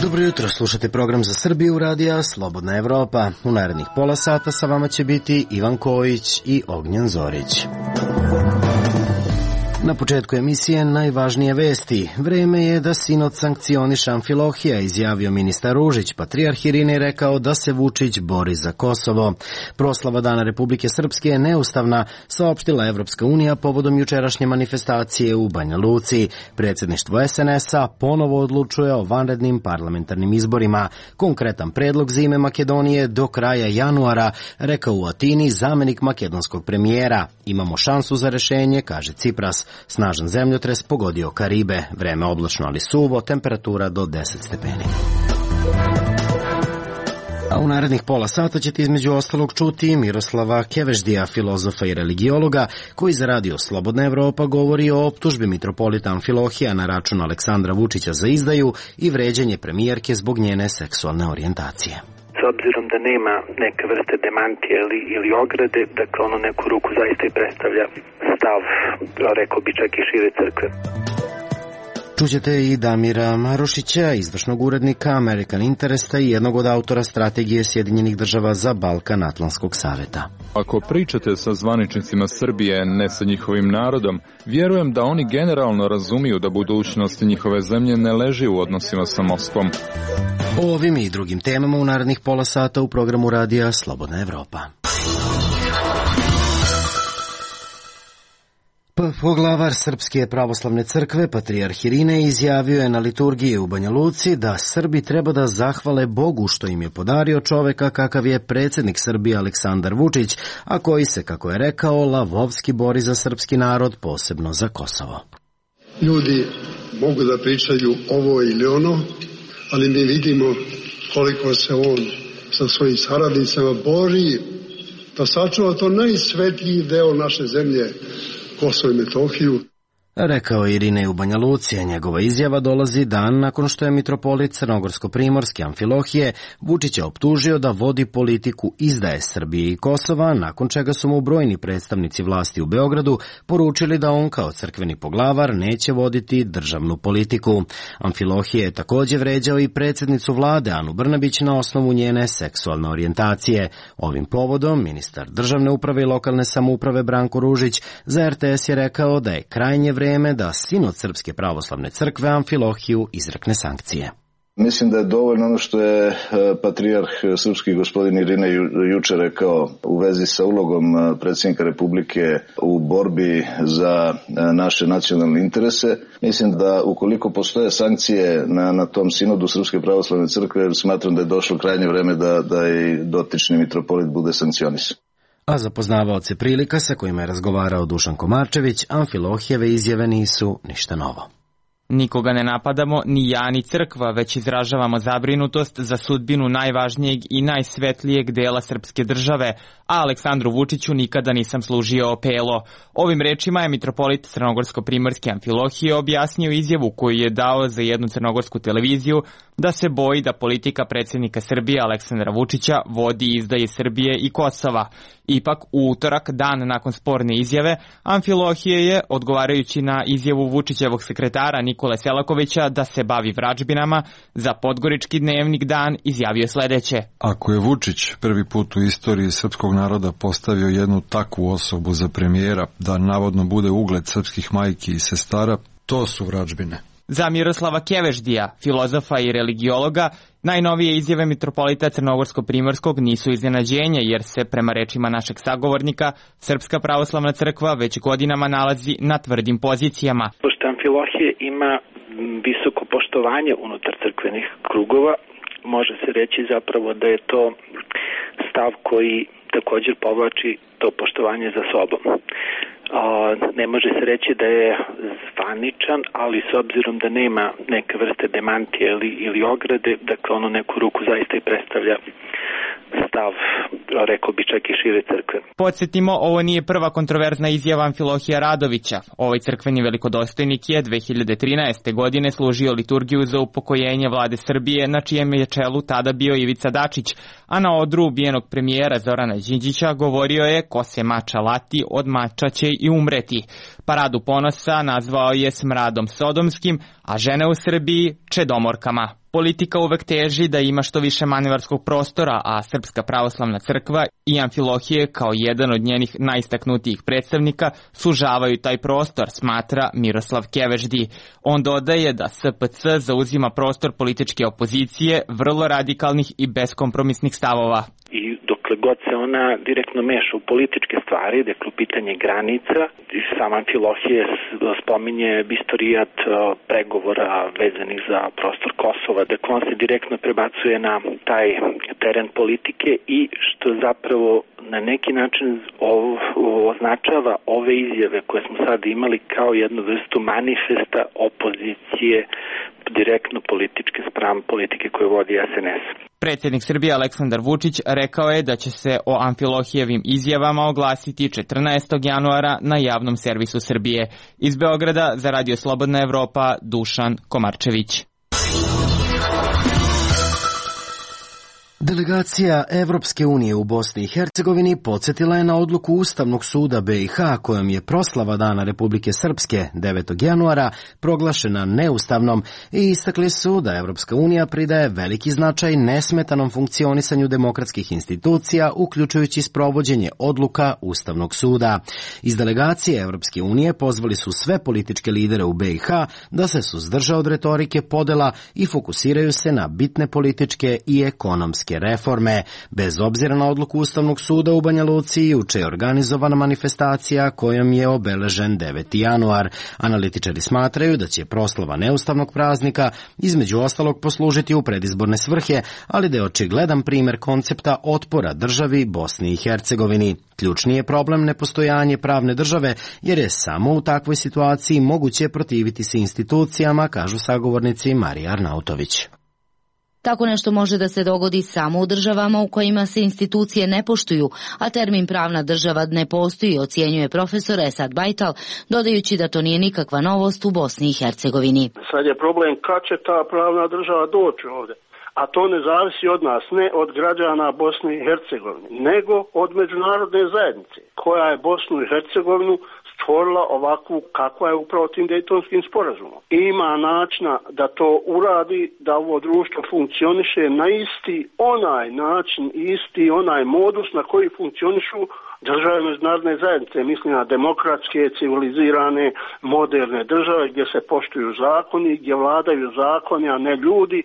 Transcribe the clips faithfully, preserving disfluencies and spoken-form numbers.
Dobro jutro, slušate program za Srbiju radija Slobodna Evropa. U narednih pola sata sa vama će biti Ivan Kojić i Ognjen Zorić. Na početku emisije najvažnije vesti. Vreme je da sinod sankcioniše Amfilohija, izjavio ministar Ružić. Patrijarh Irinej rekao da se Vučić bori za Kosovo. Proslava Dana Republike Srpske je neustavna, saopštila Evropska unija povodom jučerašnje manifestacije u Banja Luci. Predsjedništvo es en es-a ponovo odlučuje o vanrednim parlamentarnim izborima. Konkretan predlog za ime Makedonije do kraja januara, rekao u Atini zamenik makedonskog premijera. Imamo šansu za rešenje, kaže Cipras. Snažan zemljotres pogodio Karibe, vreme oblačno ali suvo, temperatura do deset stepeni. A u narednih pola sata ćete između ostalog čuti Miroslava Keveždija, filozofa i religiologa, koji za radio Slobodna Evropa govori o optužbi mitropolita Amfilohija na račun Aleksandra Vučića za izdaju i vređanje premijerke zbog njene seksualne orijentacije. S obzirom da nema neke vrste demantije ili, ili ograde, dakle ono neku ruku zaista i predstavlja stav, rekao bi čak i šire crkve. Čućete i Damira Marušića, izvršnog urednika American Interesta i jednog od autora strategije Sjedinjenih država za Balkan Atlantskog saveta. Ako pričate sa zvaničnicima Srbije, ne sa njihovim narodom, vjerujem da oni generalno razumiju da budućnost njihove zemlje ne leži u odnosima sa Moskvom. O ovim i drugim temama u narednih pola sata u programu radija Slobodna Evropa. Poglavar Srpske pravoslavne crkve, Patrijarh Irinej, izjavio je na liturgiji u Banja Luci da Srbi treba da zahvale Bogu što im je podario čoveka kakav je predsjednik Srbije Aleksandar Vučić, a koji se, kako je rekao, lavovski bori za srpski narod, posebno za Kosovo. Ljudi mogu da pričaju ovo ili ono, ali mi vidimo koliko se on sa svojim saradnicama bori da sačuva to najsvetiji deo naše zemlje, Kosovo i Metohiju. Rekao je Irinej u Banja Luci, a njegova izjava dolazi dan nakon što je mitropolit crnogorsko-primorski Amfilohije Vučića optužio da vodi politiku izdaje Srbije i Kosova, nakon čega su mu brojni predstavnici vlasti u Beogradu poručili da on kao crkveni poglavar neće voditi državnu politiku. Amfilohije je također vređao i predsjednicu vlade Anu Brnabić na osnovu njene seksualne orijentacije. Ovim povodom ministar državne uprave i lokalne samouprave Branko Ružić za er te es je rekao da je krajnje vreme da sinod Srpske pravoslavne crkve Amfilohiju izrekne sankcije. Mislim da je dovoljno ono što je patrijarh srpski gospodin Irinej juče rekao u vezi sa ulogom predsjednika Republike u borbi za naše nacionalne interese. Mislim da ukoliko postoje sankcije na, na tom sinodu Srpske pravoslavne crkve, smatram da je došlo krajnje vreme da, da i dotični mitropolit bude sankcionisan. A za poznavaoce prilika sa kojima je razgovarao Dušan Komarčević, Amfilohijeve izjave nisu ništa novo. Nikoga ne napadamo, ni ja ni crkva, već izražavamo zabrinutost za sudbinu najvažnijeg i najsvetlijeg dela srpske države, a Aleksandru Vučiću nikada nisam služio opelo. Ovim rečima je mitropolit crnogorsko-primorski Amfilohije objasnio izjavu koju je dao za jednu crnogorsku televiziju da se boji da politika predsjednika Srbije Aleksandra Vučića vodi izdaje Srbije i Kosova. Ipak, u utorak, dan nakon sporne izjave, Amfilohije je, odgovarajući na izjavu Vučićevog sekretara Nikole Selakovića da se bavi vražbinama, za Podgorički dnevnik Dan izjavio sledeće. Ako je Vučić prvi put u istoriji srpskog naroda postavio jednu takvu osobu za premijera da navodno bude ugled srpskih majki i sestara, to su vražbine. Za Miroslava Keveždija, filozofa i religiologa, najnovije izjave mitropolita Crnogorsko-primorskog nisu iznenađenje, jer se, prema rečima našeg sagovornika, Srpska pravoslavna crkva već godinama nalazi na tvrdim pozicijama. Pošto Amfilohije ima visoko poštovanje unutar crkvenih krugova, može se reći zapravo da je to stav koji također povlači to poštovanje za sobom. Ne može se reći da je zvaničan, ali s obzirom da nema neke vrste demantije ili, ili ograde, dakle ono neku ruku zaista i predstavlja stav, rekao bi čak i šire crkve. Podsjetimo, ovo nije prva kontroverzna izjava Amfilohija Radovića. Ovaj crkveni velikodostojnik je dve hiljade trinaeste. godine služio liturgiju za upokojenje vlade Srbije, na čijem je čelu tada bio Ivica Dačić, a na odru ubijenog premijera Zorana Đinđića govorio je: ko se mača lati, od mača će i umreti. Paradu ponosa nazvao je smradom sodomskim, a žene u Srbiji čedomorkama. Politika uvek teži da ima što više manevarskog prostora, a Srpska pravoslavna crkva i Amfilohije kao jedan od njenih najistaknutijih predstavnika sužavaju taj prostor, smatra Miroslav Keveždi. On dodaje da S P C zauzima prostor političke opozicije, vrlo radikalnih i beskompromisnih stavova. I dokle god se ona direktno meša u političke stvari, dakle u pitanje granica, sam Amfilohije spominje istorijat pregovora vezanih za prostor Kosova, dakle on se direktno prebacuje na taj teren politike i što zapravo na neki način označava ove izjave koje smo sad imali kao jednu vrstu manifesta opozicije direktno političke spram politike koju vodi S N S. Predsjednik Srbije Aleksandar Vučić rekao je da će se o Amfilohijevim izjavama oglasiti četrnaestog januara na javnom servisu Srbije. Iz Beograda za Radio Slobodna Evropa, Dušan Komarčević. Delegacija Evropske unije u Bosni i Hercegovini podsjetila je na odluku Ustavnog suda B i H kojom je proslava Dana Republike Srpske devetog januara proglašena neustavnom i istakli su da Evropska unija pridaje veliki značaj nesmetanom funkcionisanju demokratskih institucija, uključujući sprovođenje odluka Ustavnog suda. Iz delegacije Evropske unije pozvali su sve političke lidere u B i H da se suzdrže od retorike podela i fokusiraju se na bitne političke i ekonomske reforme. Bez obzira na odluku Ustavnog suda u Banja Luci, juče je organizovana manifestacija kojom je obeležen deveti januar. Analitičari smatraju da će proslava neustavnog praznika između ostalog poslužiti u predizborne svrhe, ali da je očigledan primjer koncepta otpora državi Bosni i Hercegovini. Ključni je problem nepostojanje pravne države, jer je samo u takvoj situaciji moguće protiviti se institucijama, kažu sagovornici Marija Arnautović. Tako nešto može da se dogodi samo u državama u kojima se institucije ne poštuju, a termin pravna država ne postoji, ocjenjuje profesor Esad Bajtal, dodajući da to nije nikakva novost u Bosni i Hercegovini. Sad je problem kad će ta pravna država doći ovdje. A to ne zavisi od nas, ne od građana Bosne i Hercegovine, nego od međunarodne zajednice, koja je Bosnu i Hercegovinu stvorila ovakvu kakva je upravo tim Dejtonskim sporazumom. Ima načina da to uradi, da ovo društvo funkcioniše na isti onaj način, isti onaj modus na koji funkcionišu države međunarodne zajednice, mislim na demokratske, civilizirane, moderne države gdje se poštuju zakoni, gdje vladaju zakoni, a ne ljudi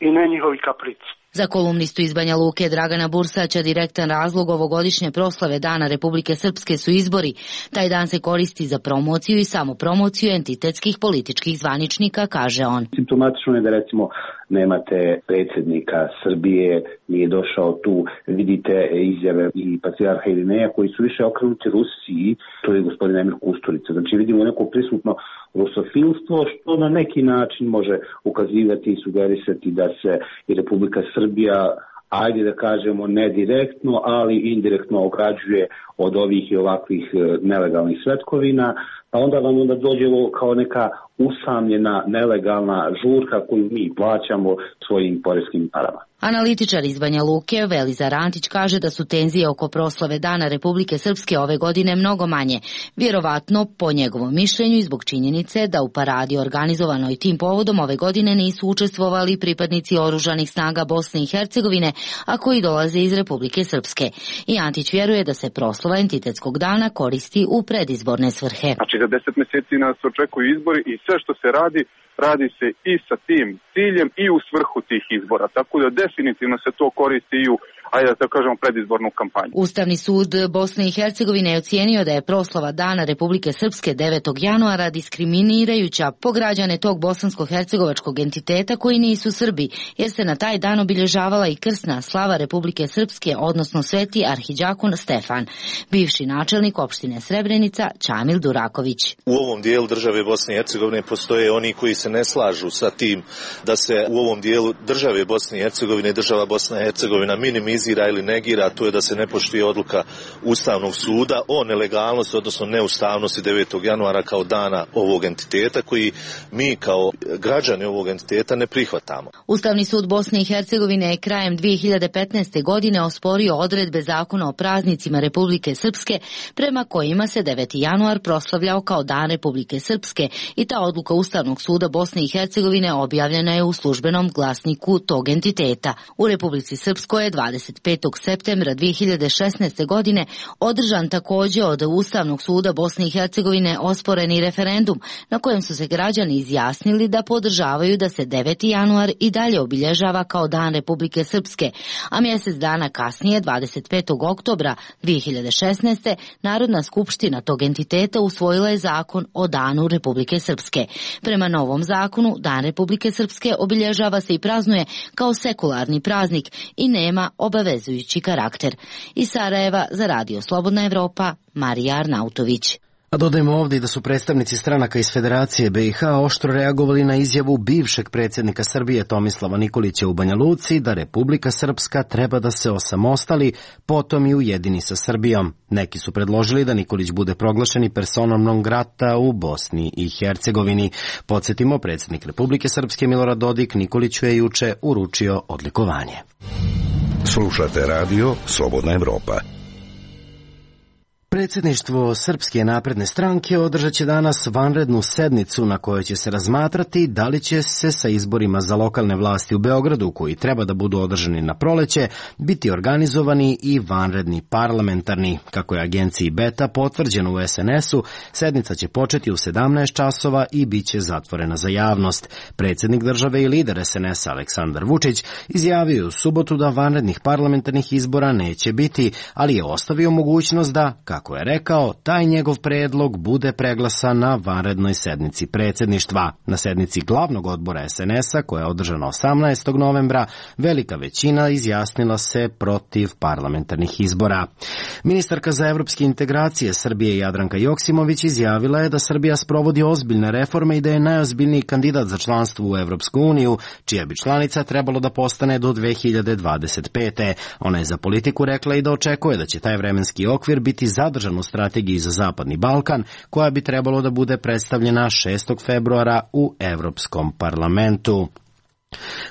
i ne njihovi kaprici. Za kolumnistu iz Banja Luke Dragana Bursaća direktan razlog ovogodišnje proslave Dana Republike Srpske su izbori. Taj dan se koristi za promociju i samopromociju entitetskih političkih zvaničnika, kaže on. Simptomatično je da recimo nemate predsjednika Srbije, nije došao tu, vidite izjave i patrijarha Irineja koji su više okrenuti Rusiji, to je gospodin Emir Kusturica. Znači vidimo neko prisutno rusofilstvo što na neki način može ukazivati i sugerisati da se i Republika Srbija, ajde da kažemo ne direktno, ali indirektno ograđuje od ovih i ovakvih nelegalnih svetkovina, pa onda vam onda dođe kao neka usamljena nelegalna žurka koju mi plaćamo svojim poreskim parama. Analitičar iz Banja Luke Velizar Antić kaže da su tenzije oko proslave Dana Republike Srpske ove godine mnogo manje. Vjerovatno, po njegovom mišljenju i zbog činjenice da u paradi organizovanoj tim povodom ove godine nisu učestvovali pripadnici oružanih snaga Bosne i Hercegovine, a koji dolaze iz Republike Srpske. I Antić vjeruje da se proslava entitetskog dana koristi u predizborne svrhe. Znači za deset mjeseci nas očekuju izbori i sve što se radi, radi se i sa tim ciljem i u svrhu tih izbora. Tako da definitivno se to koristi i u, ajde da kažemo, predizbornu kampanju. Ustavni sud Bosne i Hercegovine je ocijenio da je proslava Dana Republike Srpske devetog januara diskriminirajuća po građane tog bosansko-hercegovačkog entiteta koji nisu Srbi, jer se na taj dan obilježavala i krsna slava Republike Srpske, odnosno sveti arhidžakon Stefan. Bivši načelnik opštine Srebrenica Čamil Duraković. U ovom dijelu države Bosne i Hercegovine postoje oni koji se ne slažu sa tim da se u ovom dijelu države Bosne i Hercegovine, država Bosna i Hercegovina minimizira minimizira ili negira, to je da se ne poštuje odluka Ustavnog suda o nelegalnosti, odnosno neustavnosti devetog januara kao dana ovog entiteta koji mi kao građani ovog entiteta ne prihvatamo. Ustavni sud Bosne i Hercegovine je krajem dvije hiljade petnaeste. godine osporio odredbe zakona o praznicima Republike Srpske prema kojima se deveti januar proslavljao kao dan Republike Srpske i ta odluka Ustavnog suda Bosne i Hercegovine objavljena je u službenom glasniku tog entiteta. U Republici Srpskoj je dvadeset petog septembra dvije hiljade šesnaeste. godine održan također od Ustavnog suda Bosne i Hercegovine osporeni referendum na kojem su se građani izjasnili da podržavaju da se deveti januar i dalje obilježava kao dan Republike Srpske, a mjesec dana kasnije, dvadeset petog oktobra dvije hiljade šesnaeste. Narodna skupština tog entiteta usvojila je zakon o danu Republike Srpske. Prema novom zakonu, dan Republike Srpske obilježava se i praznuje kao sekularni praznik i nema obavezujući karakter. Iz Sarajeva za Radio Slobodna Evropa, Marija Arnautović. A dodajmo ovdje da su predstavnici stranaka iz Federacije B i H oštro reagovali na izjavu bivšeg predsjednika Srbije Tomislava Nikolića u Banja Luci da Republika Srpska treba da se osamostali, potom i ujedini sa Srbijom. Neki su predložili da Nikolić bude proglašen i personom non grata u Bosni i Hercegovini. Podsjetimo, predsjednik Republike Srpske Milorad Dodik Nikoliću je juče uručio odlikovanje. Slušate radio Slobodna Evropa. Predsjedništvo Srpske napredne stranke održat će danas vanrednu sednicu na kojoj će se razmatrati da li će se sa izborima za lokalne vlasti u Beogradu, koji treba da budu održani na proleće, biti organizovani i vanredni parlamentarni. Kako je agenciji Beta potvrđeno u S N S-u, sednica će početi u sedamnaest časova i bit će zatvorena za javnost. Predsjednik države i lider S N S-a Aleksandar Vučić izjavio u subotu da vanrednih parlamentarnih izbora neće biti, ali je ostavio mogućnost da, kako je rekao, taj njegov predlog bude preglasan na vanrednoj sednici predsjedništva. Na sednici glavnog odbora S N S-a, koja je održana osamnaestog novembra, velika većina izjasnila se protiv parlamentarnih izbora. Ministarka za evropske integracije Srbije Jadranka Joksimović izjavila je da Srbija sprovodi ozbiljne reforme i da je najozbiljniji kandidat za članstvo u Evropsku uniju, čija bi članica trebalo da postane do dve hiljade dvadeset pete. Ona je za Politiku rekla i da očekuje da će taj vremenski okvir biti zadržan u strategiji za Zapadni Balkan, koja bi trebalo da bude predstavljena šestog februara u Evropskom parlamentu.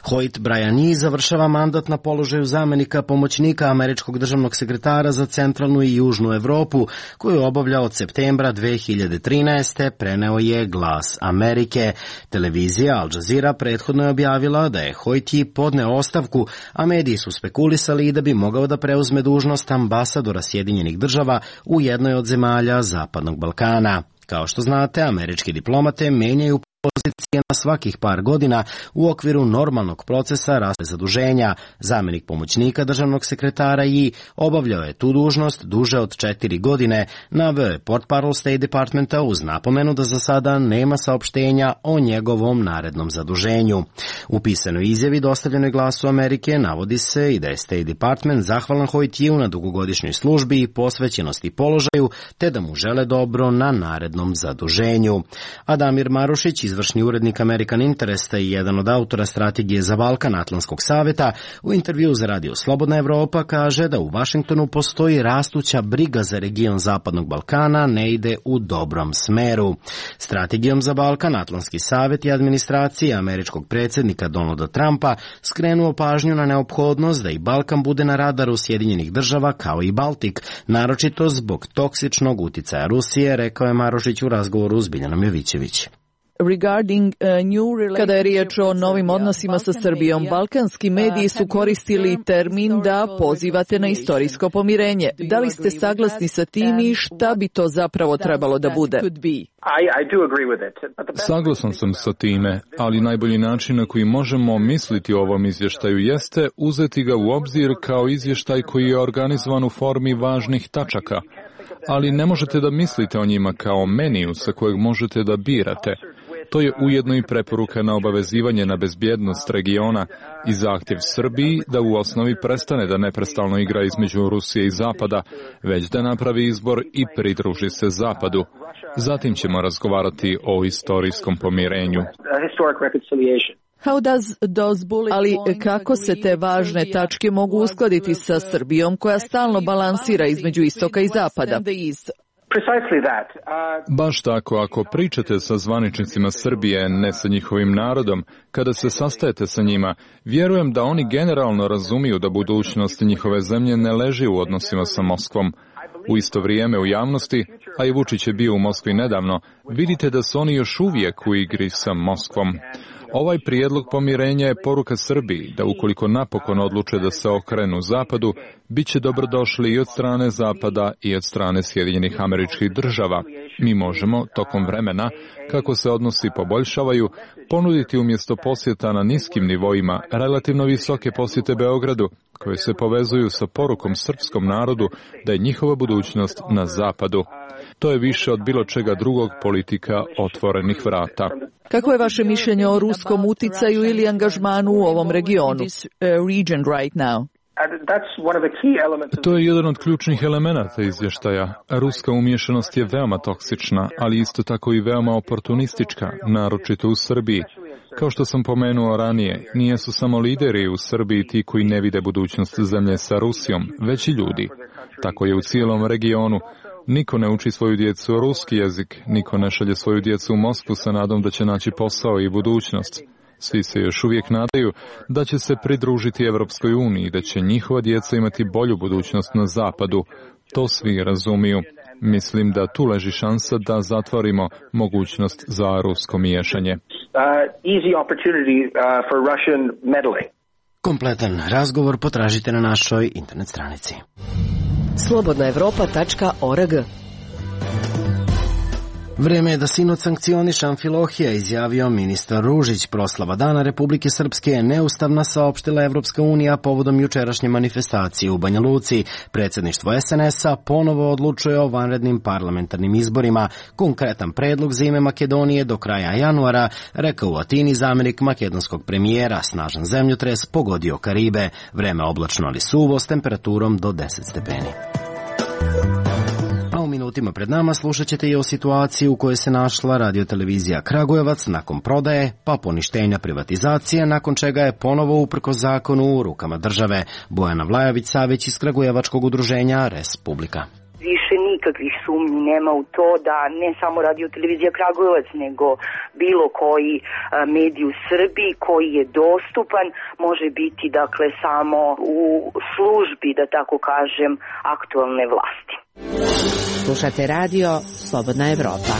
Hoyt Bryan završava mandat na položaju zamenika pomoćnika američkog državnog sekretara za centralnu i južnu Evropu, koju obavlja od septembra dve hiljade trinaeste. Preneo je Glas Amerike. Televizija Al Jazeera prethodno je objavila da je Hoyt podneo ostavku, a mediji su spekulisali i da bi mogao da preuzme dužnost ambasadora Sjedinjenih država u jednoj od zemalja Zapadnog Balkana. Kao što znate, američki diplomate menjaju pozicije na svakih par godina u okviru normalnog procesa raste zaduženja. Zamenik pomoćnika državnog sekretara i obavljao je tu dužnost duže od četiri godine, naveo je portparol State Departmenta uz napomenu da za sada nema saopštenja o njegovom narednom zaduženju. U pisanoj izjavi dostavljenoj Glasu Amerike navodi se i da je State Department zahvalan Hoytiju na dugogodišnjoj službi i posvećenosti položaju, te da mu žele dobro na narednom zaduženju. Adamir Marušić, izvršni urednik American Interesta i jedan od autora strategije za Balkan Atlantskog saveta, u intervju za Radio Slobodna Evropa kaže da u Vašingtonu postoji rastuća briga za region Zapadnog Balkana, ne ide u dobrom smeru. Strategijom za Balkan Atlantski savet i administracija američkog predsjednika Donalda Trumpa skrenuo pažnju na neophodnost da i Balkan bude na radaru Sjedinjenih država kao i Baltik, naročito zbog toksičnog uticaja Rusije, rekao je Marošić u razgovoru s Biljanom Jovićević. Kada je riječ o novim odnosima sa Srbijom, balkanski mediji su koristili termin da pozivate na istorijsko pomirenje. Da li ste saglasni sa tim i šta bi to zapravo trebalo da bude? Saglasan sam sa time, ali najbolji način na koji možemo misliti o ovom izvještaju jeste uzeti ga u obzir kao izvještaj koji je organizovan u formi važnih tačaka. Ali ne možete da mislite o njima kao meniju sa kojeg možete da birate. To je ujedno i preporuka na obavezivanje na bezbjednost regiona i zahtjev Srbiji da u osnovi prestane da neprestalno igra između Rusije i Zapada, već da napravi izbor i pridruži se Zapadu. Zatim ćemo razgovarati o istorijskom pomirenju. Ali kako se te važne tačke mogu uskladiti sa Srbijom koja stalno balansira između istoka i zapada? Baš tako, ako pričate sa zvaničnicima Srbije, ne sa njihovim narodom, kada se sastajete sa njima, vjerujem da oni generalno razumiju da budućnost njihove zemlje ne leži u odnosima sa Moskvom. U isto vrijeme u javnosti, a i Vučić je bio u Moskvi nedavno, vidite da su oni još uvijek u igri sa Moskvom. Ovaj prijedlog pomirenja je poruka Srbiji da ukoliko napokon odluče da se okrenu zapadu, bit će dobrodošli i od strane zapada i od strane Sjedinjenih Američkih Država. Mi možemo, tokom vremena, kako se odnosi poboljšavaju, ponuditi umjesto posjeta na niskim nivoima relativno visoke posjete Beogradu, koje se povezuju sa porukom srpskom narodu da je njihova budućnost na zapadu. To je više od bilo čega drugog politika otvorenih vrata. Kako je vaše mišljenje o ruskom uticaju ili angažmanu u ovom regionu? To je jedan od ključnih elemenata izvještaja. Ruska umješanost je veoma toksična, ali isto tako i veoma oportunistička, naročito u Srbiji. Kao što sam pomenuo ranije, nijesu samo lideri u Srbiji ti koji ne vide budućnost zemlje sa Rusijom, već i ljudi. Tako je u cijelom regionu. Niko ne uči svoju djecu ruski jezik, niko ne šalje svoju djecu u Moskvu sa nadom da će naći posao i budućnost. Svi se još uvijek nadaju da će se pridružiti Evropskoj uniji i da će njihova djeca imati bolju budućnost na zapadu. To svi razumiju. Mislim da tu leži šansa da zatvorimo mogućnost za rusko miješanje. Kompletan razgovor potražite na našoj internet stranici. slobodna evropa tačka org. Vreme je da sinoć sankcioniše Amfilohija, izjavio ministar Ružić. Proslava Dana Republike Srpske je neustavna, saopštila Evropska unija povodom jučerašnje manifestacije u Banja Luci. Predsjedništvo es en es a ponovo odlučuje o vanrednim parlamentarnim izborima. Konkretan predlog za ime Makedonije do kraja januara, rekao u Atini zamjenik makedonskog premijera. Snažan zemljotres pogodio Karibe. Vreme oblačno ali suvo s temperaturom do deset stepeni. U minutima pred nama slušat ćete i o situaciji u kojoj se našla radiotelevizija Kragujevac nakon prodaje pa poništenja privatizacije, nakon čega je ponovo uprkos zakonu u rukama države. Bojana Vlajović-Savić iz Kragujevačkog udruženja Respublika. Više nikakvih sumnji nema u to da ne samo radiotelevizija Kragujevac, nego bilo koji medij u Srbiji koji je dostupan može biti dakle samo u službi, da tako kažem, aktualne vlasti. Slušate radio Slobodna Evropa.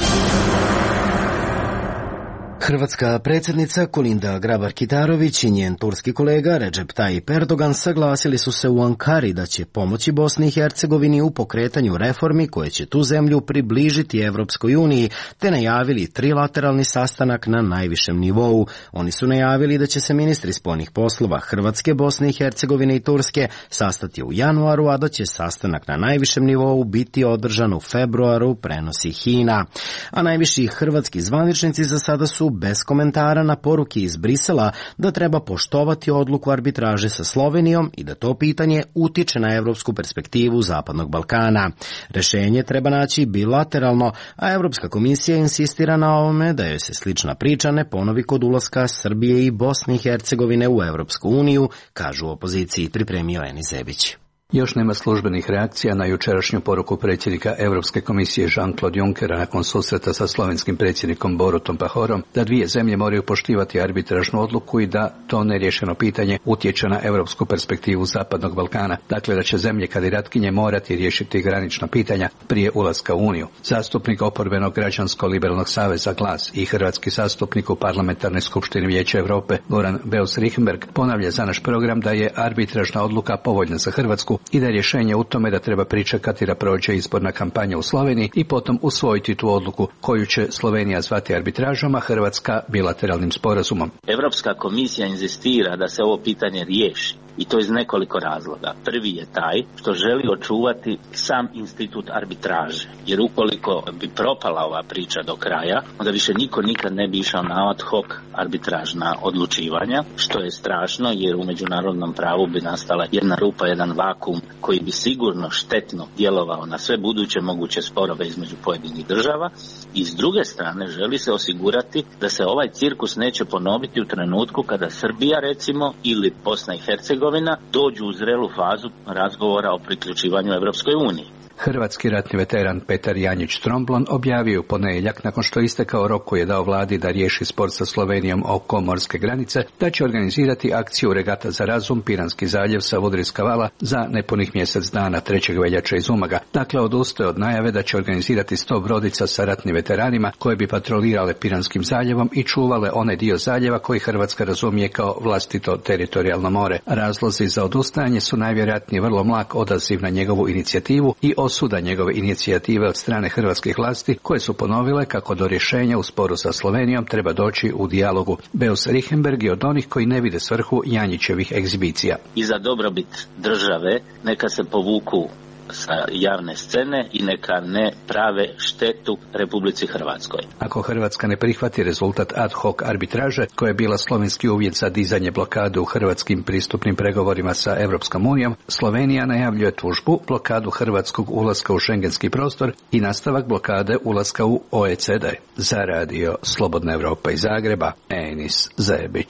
Hrvatska predsjednica Kolinda Grabar-Kitarović i njen turski kolega Recep Tayyip Erdogan saglasili su se u Ankari da će pomoći Bosni i Hercegovini u pokretanju reformi koje će tu zemlju približiti Evropskoj uniji, te najavili trilateralni sastanak na najvišem nivou. Oni su najavili da će se ministri spoljnih poslova Hrvatske, Bosne i Hercegovine i Turske sastati u januaru, a da će sastanak na najvišem nivou biti održan u februaru, prenosi Hina. A najviši hrvatski zvaničnici za sada su bez komentara na poruke iz Brisela da treba poštovati odluku arbitraže sa Slovenijom i da to pitanje utiče na evropsku perspektivu Zapadnog Balkana. Rešenje treba naći bilateralno, a Evropska komisija insistira na ovome da joj se slična priča ne ponovi kod ulaska Srbije i Bosne i Hercegovine u Evropsku uniju, kažu u opoziciji, pripremio Eni Zebić. Još nema službenih reakcija na jučerašnju poruku predsjednika Europske komisije Jean-Claude Junckera nakon susreta sa slovenskim predsjednikom Borutom Pahorom da dvije zemlje moraju poštivati arbitražnu odluku i da to neriješeno pitanje utječe na europsku perspektivu Zapadnog Balkana. Dakle, da će zemlje kandidatkinje morati riješiti granična pitanja prije ulaska u Uniju. Zastupnik oporbenog građansko-liberalnog saveza Glas i hrvatski zastupnik u parlamentarnoj skupštini Vijeća Europe Goran Beus-Richembergh ponavlja za naš program da je arbitražna odluka povoljna za Hrvatsku i da je rješenje u tome da treba pričekati da prođe izborna kampanja u Sloveniji i potom usvojiti tu odluku koju će Slovenija zvati arbitražom, a Hrvatska bilateralnim sporazumom. Europska komisija inzistira da se ovo pitanje riješi. I to iz nekoliko razloga. Prvi je taj što želi očuvati sam institut arbitraže. Jer ukoliko bi propala ova priča do kraja, onda više niko nikad ne bi išao na ad hoc arbitražna odlučivanja, što je strašno jer u međunarodnom pravu bi nastala jedna rupa, jedan vakum koji bi sigurno štetno djelovao na sve buduće moguće sporove između pojedinih država. I s druge strane želi se osigurati da se ovaj cirkus neće ponoviti u trenutku kada Srbija recimo ili Bosna i Hercegovina dođu u zrelu fazu razgovora o priključivanju Europskoj uniji. Hrvatski ratni veteran Petar Janjić Tromblon objavio u ponedjeljak nakon što je istekao rok koji je dao vladi da riješi spor sa Slovenijom oko morske granice, da će organizirati akciju Regata za razum Piranski zaljev sa Vodrijska vala za nepunih mjesec dana trećeg veljače iz Umaga. Dakle, odustaje od najave da će organizirati sto brodica sa ratnim veteranima koje bi patrolirale Piranskim zaljevom i čuvale onaj dio zaljeva koji Hrvatska razumije kao vlastito teritorijalno more. Razlozi za odustajanje su najvjerojatnije vrlo mlak odaziv na njegovu inicijativu i osuda njegove inicijative od strane hrvatskih vlasti koje su ponovile kako do rješenja u sporu sa Slovenijom treba doći u dijalogu. Beus Richembergh je od onih koji ne vide svrhu Janjićevih egzibicija. I za dobrobit države neka se povuku sa javne scene i neka ne prave štetu Republici Hrvatskoj. Ako Hrvatska ne prihvati rezultat ad hoc arbitraže, koja je bila slovenski uvjet za dizanje blokade u hrvatskim pristupnim pregovorima sa Europskom unijom, Slovenija najavljuje tužbu, blokadu hrvatskog ulaska u šengenski prostor i nastavak blokade ulaska u O E C D. Za radio Slobodna Evropa iz Zagreba, Enis Zebić.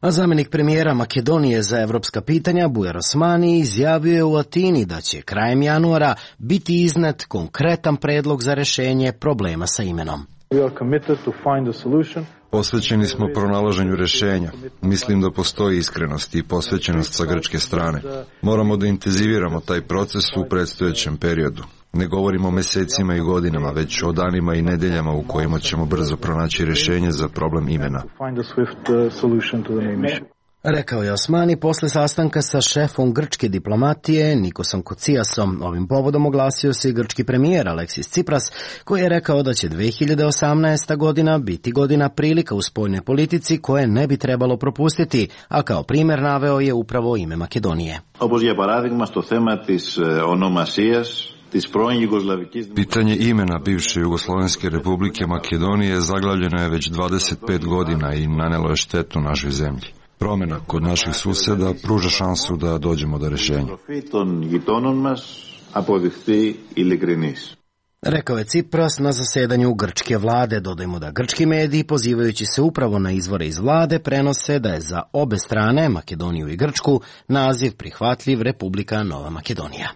A zamjenik premijera Makedonije za evropska pitanja Bujar Osmani izjavio je u Atini da će krajem januara biti iznet konkretan predlog za rješenje problema sa imenom. Posvećeni smo pronalaženju rješenja. Mislim da postoji iskrenost i posvećenost sa grčke strane. Moramo da intenziviramo taj proces u predstojećem periodu. Ne govorimo o mjesecima i godinama, već o danima i nedeljama u kojima ćemo brzo pronaći rješenje za problem imena. Rekao je Osmani posle sastanka sa šefom grčke diplomatije Nikosom Kocijasom. Ovim povodom oglasio se i grčki premijer Aleksis Tsipras, koji je rekao da će dve hiljade osamnaesta. godina biti godina prilika u spoljnoj politici koje ne bi trebalo propustiti, a kao primjer naveo je upravo ime Makedonije. Όπως για παράδειγμα στο θέμα της ονομασίας. Pitanje imena bivše Jugoslovenske republike Makedonije zaglavljeno je već dvadeset pet godina i nanelo je štetu našoj zemlji. Promjena kod naših susjeda pruža šansu da dođemo do rješenja. Rekao je Tsipras na zasedanju grčke vlade. Dodajmo da grčki mediji, pozivajući se upravo na izvore iz vlade, prenose da je za obe strane, Makedoniju i Grčku, naziv prihvatljiv Republika Nova Makedonija.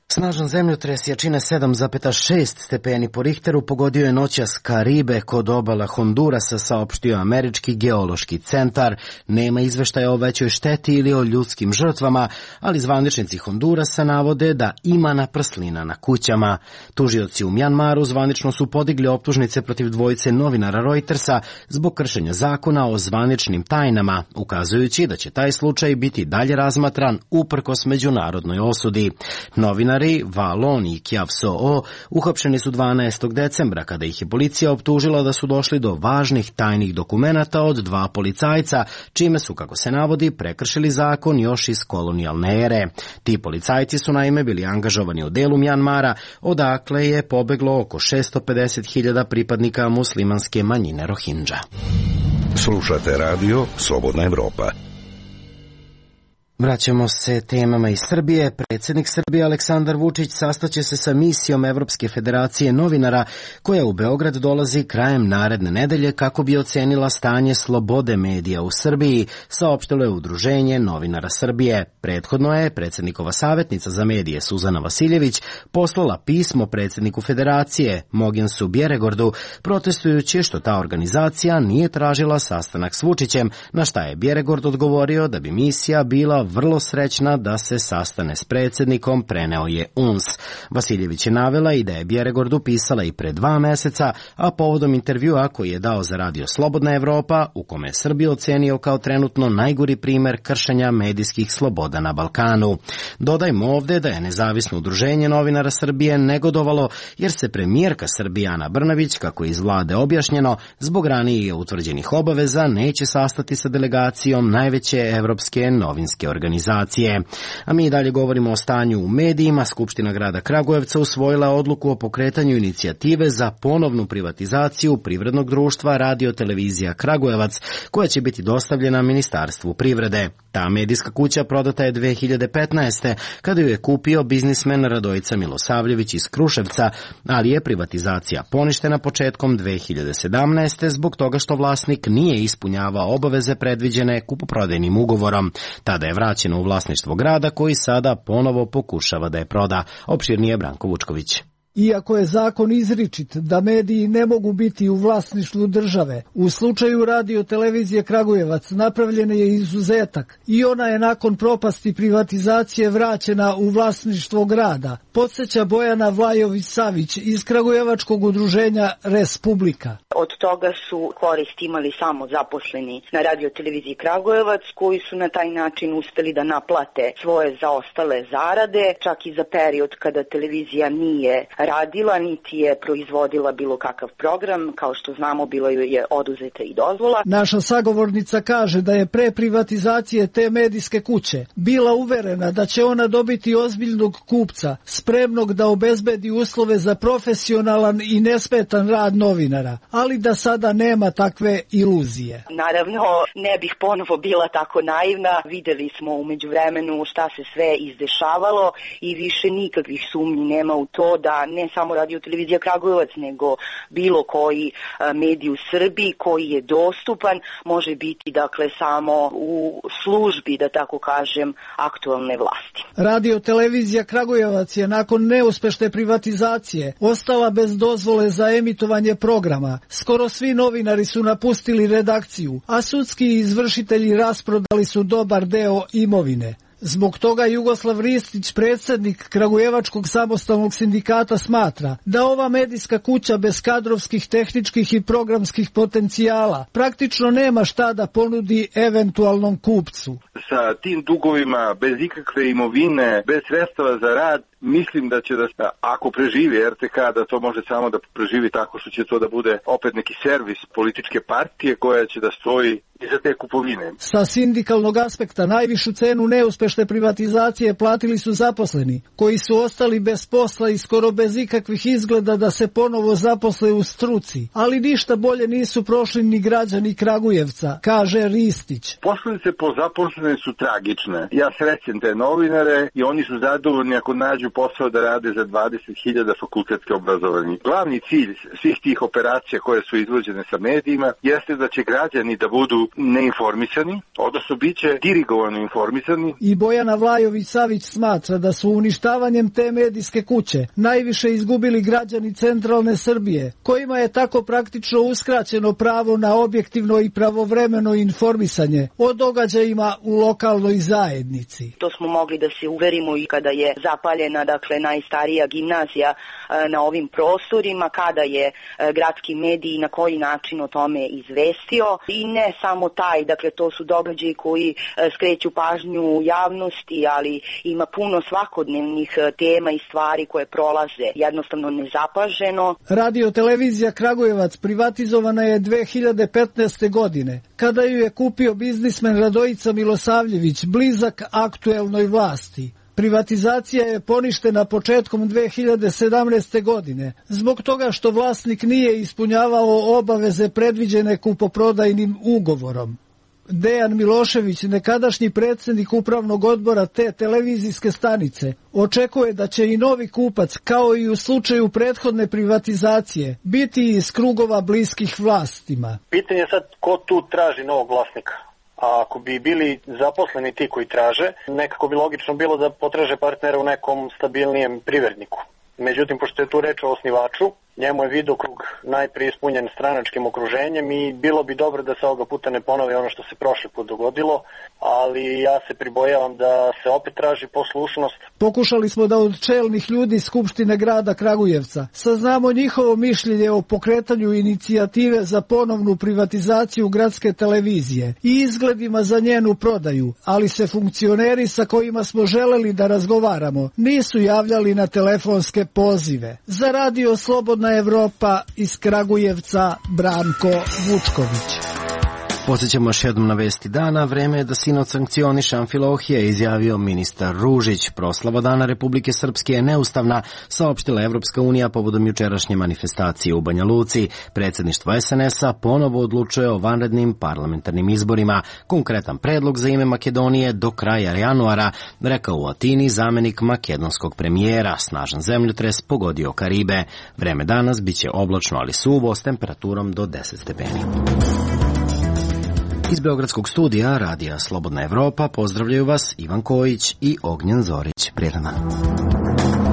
Snažan zemljotres jačine sedam zarez šest stepeni po Richteru pogodio je noćas Karibe kod obala Hondurasa, saopštio američki geološki centar. Nema izveštaja o većoj šteti ili o ljudskim žrtvama, ali zvaničnici Hondurasa navode da ima naprslina na kućama. Tužioci u Mjanmaru zvanično su podigli optužnice protiv dvojice novinara Reutersa zbog kršenja zakona o zvaničnim tajnama, ukazujući da će taj slučaj biti dalje razmatran uprkos međunarodnoj osudi. Novinari Valon i Kjav So uhapšeni su dvanaestog decembra kada ih je policija optužila da su došli do važnih tajnih dokumenata od dva policajca, čime su, kako se navodi, prekršili zakon još iz kolonijalne ere. Ti policajci su naime bili angažovani u delu Mjanmara, odakle je pobeglo oko šesto pedeset hiljada pripadnika muslimanske manjine Rohingya. Slušate radio Slobodna Evropa. Vraćamo se temama iz Srbije. Predsjednik Srbije Aleksandar Vučić sastaće se sa misijom Evropske federacije novinara koja u Beograd dolazi krajem naredne nedelje kako bi ocenila stanje slobode medija u Srbiji, saopštilo je Udruženje novinara Srbije. Prethodno je predsjednikova savjetnica za medije Suzana Vasiljević poslala pismo predsjedniku federacije Mogensu Bjeregordu protestujući što ta organizacija nije tražila sastanak s Vučićem, na šta je Bjeregord odgovorio da bi misija bila vrlo srećna da se sastane s predsjednikom, preneo je U N S. Vasiljević je navela i da je Bjeregordu pisala i pre dva meseca, a povodom intervjua koji je dao za radio Slobodna Evropa, u kome je Srbiju ocenio kao trenutno najgori primer kršenja medijskih sloboda na Balkanu. Dodajmo ovde da je nezavisno udruženje novinara Srbije negodovalo jer se premijerka Srbije Ana Brnabić, kako je iz vlade objašnjeno, zbog ranije utvrđenih obaveza neće sastati sa delegacijom najveće evropske novinske organizacije. A mi dalje govorimo o stanju u medijima. Skupština grada Kragujevca usvojila odluku o pokretanju inicijative za ponovnu privatizaciju privrednog društva Radio Televizija Kragujevac, koja će biti dostavljena Ministarstvu privrede. Ta medijska kuća prodata je dve hiljade petnaeste. kada ju je kupio biznismen Radojica Milosavljević iz Kruševca, ali je privatizacija poništena početkom dve hiljade sedamnaeste. zbog toga što vlasnik nije ispunjavao obaveze predviđene kupoprodajnim ugovorom. Tada je vraćeno u vlasništvo grada, koji sada ponovo pokušava da je proda. Opširnije Branko Vučković. Iako je zakon izričit da mediji ne mogu biti u vlasništvu države, u slučaju Radio Televizije Kragujevac napravljen je izuzetak i ona je nakon propasti privatizacije vraćena u vlasništvo grada, podsjeća Bojana Vlajović-Savić iz Kragujevačkog udruženja Respublika. Od toga su korist imali samo zaposleni na Radio Televiziji Kragujevac, koji su na taj način uspeli da naplate svoje zaostale zarade, čak i za period kada televizija nije radila, niti je proizvodila bilo kakav program. Kao što znamo, bilo je oduzeta i dozvola. Naša sagovornica kaže da je pre privatizacije te medijske kuće bila uverena da će ona dobiti ozbiljnog kupca, spremnog da obezbedi uslove za profesionalan i nesmetan rad novinara, ali da sada nema takve iluzije. Naravno, ne bih ponovo bila tako naivna. Videli smo u međuvremenu šta se sve izdešavalo i više nikakvih sumnji nema u to da ne samo Radio Televizija Kragujevac, nego bilo koji medij u Srbiji koji je dostupan može biti dakle samo u službi, da tako kažem, aktualne vlasti. Radio Televizija Kragujevac je nakon neuspešne privatizacije ostala bez dozvole za emitovanje programa. Skoro svi novinari su napustili redakciju, a sudski izvršitelji rasprodali su dobar deo imovine. Zbog toga Jugoslav Ristić, predsjednik Kragujevačkog samostalnog sindikata, smatra da ova medijska kuća bez kadrovskih, tehničkih i programskih potencijala praktično nema šta da ponudi eventualnom kupcu. Sa tim dugovima, bez ikakve imovine, bez sredstava za rad, mislim da će da, ako preživi R T K, da to može samo da preživi tako što će to da bude opet neki servis političke partije koja će da stoji iza te kupovine. Sa sindikalnog aspekta najvišu cenu neuspešne privatizacije platili su zaposleni, koji su ostali bez posla i skoro bez ikakvih izgleda da se ponovo zaposle u struci. Ali ništa bolje nisu prošli ni građani Kragujevca, kaže Ristić. Posledice po zaposlene su tragične. Ja srećem te novinare i oni su zadovoljni ako nađu posao da rade za dvadeset hiljada fakultetske obrazovanje. Glavni cilj svih tih operacija koje su izvođene sa medijima jeste da će građani da budu neinformisani, odnosno bit će dirigovano informisani. I Bojana Vlajović-Savić smatra da su uništavanjem te medijske kuće najviše izgubili građani centralne Srbije, kojima je tako praktično uskraćeno pravo na objektivno i pravovremeno informisanje o događajima u lokalnoj zajednici. To smo mogli da se uverimo i kada je zapaljena dakle najstarija gimnazija na ovim prostorima, kada je gradski medij na koji način o tome izvestio. I ne samo taj, dakle to su događaji koji skreću pažnju javnosti, ali ima puno svakodnevnih tema i stvari koje prolaze jednostavno nezapaženo. Radio Televizija Kragujevac privatizovana je dve hiljade petnaeste. godine, kada ju je kupio biznismen Radojica Milosavljević, blizak aktuelnoj vlasti. Privatizacija je poništena početkom dve hiljade sedamnaeste. godine, zbog toga što vlasnik nije ispunjavao obaveze predviđene kupoprodajnim ugovorom. Dejan Milošević, nekadašnji predsjednik upravnog odbora te televizijske stanice, očekuje da će i novi kupac, kao i u slučaju prethodne privatizacije, biti iz krugova bliskih vlastima. Pitanje je sad ko tu traži novog vlasnika. A ako bi bili zaposleni ti koji traže, nekako bi logično bilo da potraže partnera u nekom stabilnijem privredniku. Međutim, pošto je tu reč o osnivaču Njemu je vidokrug najprije ispunjen stranačkim okruženjem i bilo bi dobro da se ovoga puta ne ponovi ono što se prošli put dogodilo, ali ja se pribojavam da se opet traži poslušnost. Pokušali smo da od čelnih ljudi Skupštine grada Kragujevca saznamo njihovo mišljenje o pokretanju inicijative za ponovnu privatizaciju gradske televizije i izgledima za njenu prodaju, ali se funkcioneri sa kojima smo želeli da razgovaramo nisu javljali na telefonske pozive. Za radio Slobodna Evropa iz Kragujevca, Branko Vučković. Podsjećamo još jednom na vesti dana. Vreme je da sinoć sankcioniše Amfilohija, izjavio ministar Ružić. Proslava Dana Republike Srpske je neustavna, saopštila Evropska unija povodom jučerašnje manifestacije u Banja Luci. Predsjedništvo es en es a ponovo odlučuje o vanrednim parlamentarnim izborima. Konkretan predlog za ime Makedonije do kraja januara, rekao u Atini zamenik makedonskog premijera. Snažan zemljotres pogodio Karibe. Vreme danas biće oblačno ali suvo s temperaturom do deset stepeni. Iz Beogradskog studija Radija Slobodna Evropa pozdravljaju vas Ivan Kojić i Ognjen Zorić. Prijetan dan.